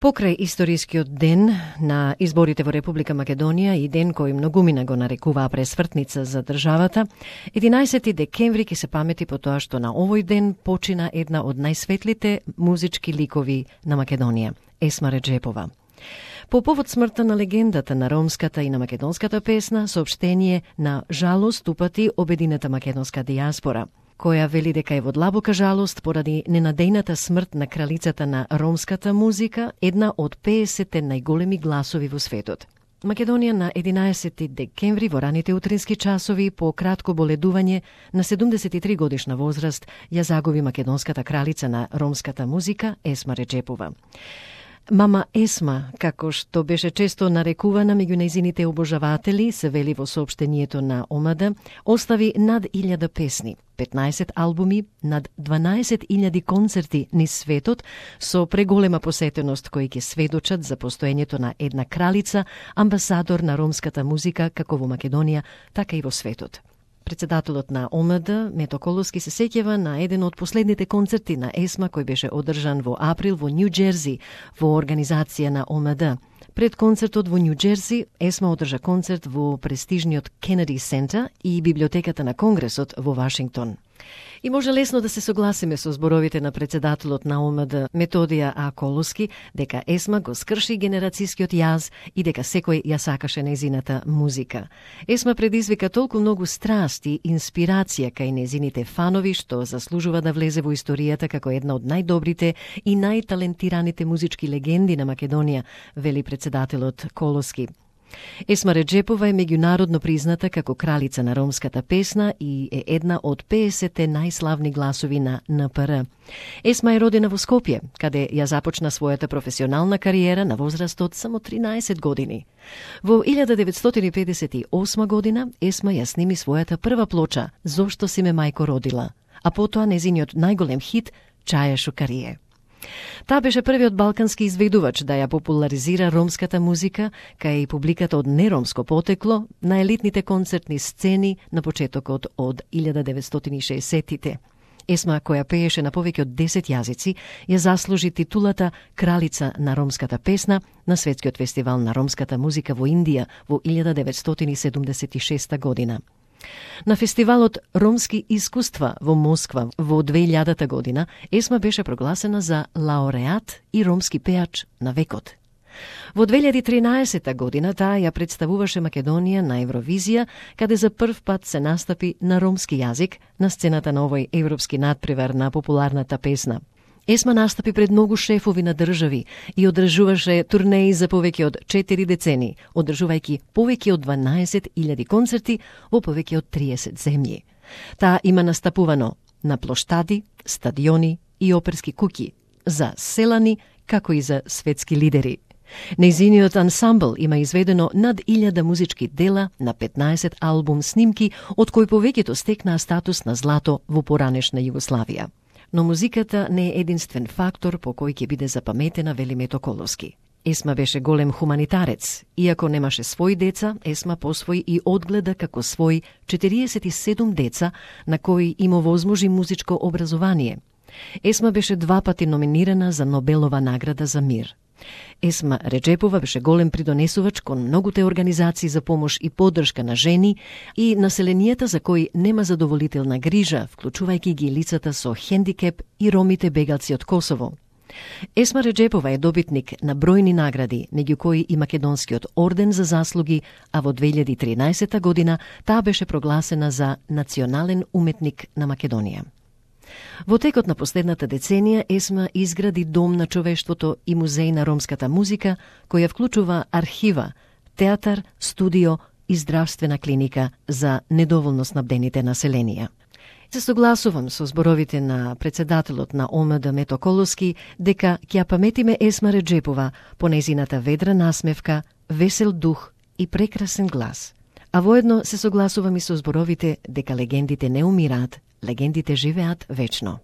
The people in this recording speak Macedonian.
Покрај историскиот ден на изборите во Република Македонија и ден кој многумина го нарекуваа пресвртница за државата, 11 декември ќе се памети по тоа што на овој ден почина една од најсветлите музички ликови на Македонија, Есма Реджепова. По повод смртта на легендата на ромската и на македонската песна, соопштение на жалост упати обединета македонска дијаспора, која вели дека е во длабока жалост поради ненадејната смрт на кралицата на ромската музика, една од 50 најголеми гласови во светот. Македонија на 11 декември во раните утрински часови по кратко боледување на 73 годишна возраст ја загуби македонската кралица на ромската музика Есма Реджепова. Мама Есма, како што беше често нарекувана меѓу нејзините обожаватели, се вели во соопштението на ОМД, остави над 1000 песни, 15 албуми, над 12.000 концерти низ светот со преголема посетеност кои ќе сведочат за постоењето на една кралица, амбасадор на ромската музика како во Македонија, така и во светот. Председателот на ОМД, Мето Колоски, се сеќава на еден од последните концерти на Есма кој беше одржан во април во Нью Џерси во организација на ОМД. Пред концертот во Нью Џерси, Есма одржа концерт во престижниот Кенеди Центар и библиотеката на Конгресот во Вашингтон. И може лесно да се согласиме со зборовите на председателот на ОМД Методија А. Колоски дека Есма го скрши генерацијскиот јаз и дека секој ја сакаше нејзината музика. Есма предизвика толку многу страст и инспирација кај нејзините фанови што заслужува да влезе во историјата како една од најдобрите и најталентираните музички легенди на Македонија, вели председателот Колоски. Есма Реджепова е меѓународно призната како кралица на ромската песна и е една од 50 најславни гласови на НПР. Есма е родена во Скопје, каде ја започна својата професионална кариера на возраст од само 13 години. Во 1958 година Есма ја сними својата прва плоча "Зошто си ме мајко родила", а потоа незиниот најголем хит "Чаја Шукарие". Таа беше првиот балкански изведувач да ја популаризира ромската музика кај публиката од неромско потекло на елитните концертни сцени на почетокот од 1960-тите. Есма, која пееше на повеќе од 10 јазици, ја заслужи титулата кралица на ромската песна на Светскиот фестивал на ромската музика во Индија во 1976 година. На фестивалот Ромски искуства во Москва во 2000 година Есма беше прогласена за лауреат и ромски пеач на векот. Во 2013 година таа ја представуваше Македонија на Евровизија, каде за прв пат се настапи на ромски јазик на сцената на овој европски надпревар на популарната песна. Есма настапи пред многу шефови на држави и одржуваше турнеи за повеќе од 4 децени, одржувајќи повеќе од 12.000 концерти во повеќе од 30 земји. Таа има настапувано на плоштади, стадиони и оперски куќи, за селани, како и за светски лидери. Нејзиниот ансамбл има изведено над 1000 музички дела на 15 албум снимки, од кои повеќето стекнаа статус на злато во поранешна Југославија. Но музиката не е единствен фактор по кој ќе биде запаметена, вели Мето Колоски. Есма беше голем хуманитарец. Иако немаше своји деца, Есма посвои и одгледа како свој 47 деца на кои им овозможи музичко образование. Есма беше 2 пати номинирана за Нобелова награда за мир. Есма Реджепова беше голем придонесувач кон многуте организации за помош и поддршка на жени и населенијата за кои нема задоволителна грижа, вклучувајќи ги лицата со хендикеп и ромите бегалци од Косово. Есма Реджепова е добитник на бројни награди, меѓу кои и Македонскиот орден за заслуги, а во 2013 година таа беше прогласена за национален уметник на Македонија. Во текот на последната деценија Есма изгради Дом на човештвото и музеј на ромската музика, која вклучува архива, театар, студио и здравствена клиника за недоволно снабдените населенија. Се согласувам со зборовите на председателот на ОМД Мето Колоски дека ќе ја паметиме Есма Реджепова по нејзината ведра насмевка, весел дух и прекрасен глас. А воедно се согласувам и со зборовите дека легендите не умираат, легендите живеат вечно.